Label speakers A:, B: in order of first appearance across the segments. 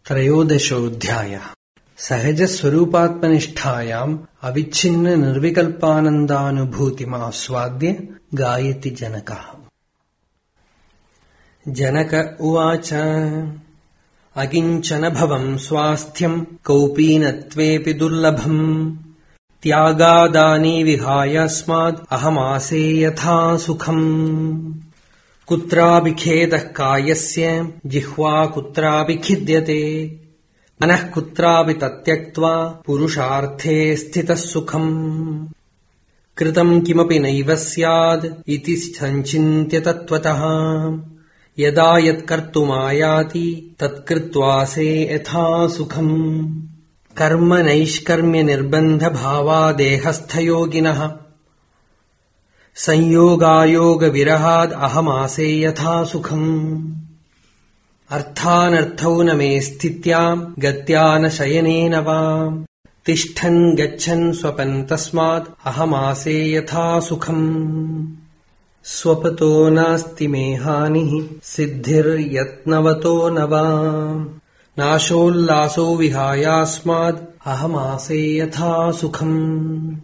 A: त्रयोदशोऽध्यायः। सहजस्वरूपात्मनिष्ठायाम् अविच्छिन्न निर्विकल्पानन्दानुभूतिमास्वाद्य गायति जनकः। जनक उवाच अकिञ्चन भवम् स्वास्थ्यम् कौपीनत्वेऽपि दुर्लभम् त्यागादानि विहायास्माद् अहमासे यथा सुखम् कुत्रापि खेदः कायस्य जिह्वा कुत्रापि खिद्यते मनः कुत्रापि तत्यक्त्वा पुरुषार्थे स्थितः सुखम् कृतम् किमपि नैव स्याद् इति सञ्चिन्त्य तत्त्वतः यदा यत्कर्तुमायाति तत्कृत्वासे यथा सुखम् कर्म नैष्कर्म्य निर्बन्ध भावादेहस्थयोगिनः संयोगायोग विरहाद् अहमासे यथा सुखम् अर्थानर्थौ न मे स्थित्याम् गत्या न शयनेन वा तिष्ठन् गच्छन् स्वपन् तस्मात् अहमासे यथा सुखम् स्वपतो नास्ति मे हानिः सिद्धिर्यत्नवतो न वा नाशोल्लासो विहायास्माद् अहमासे यथा सुखम्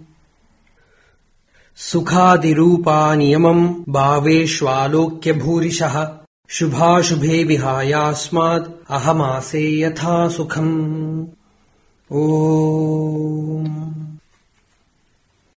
A: सुखादिरूपा नियमम् भावेष्वालोक्य भूरिशः शुभाशुभे विहायास्माद् अहमासे यथा सुखम्। ओम्।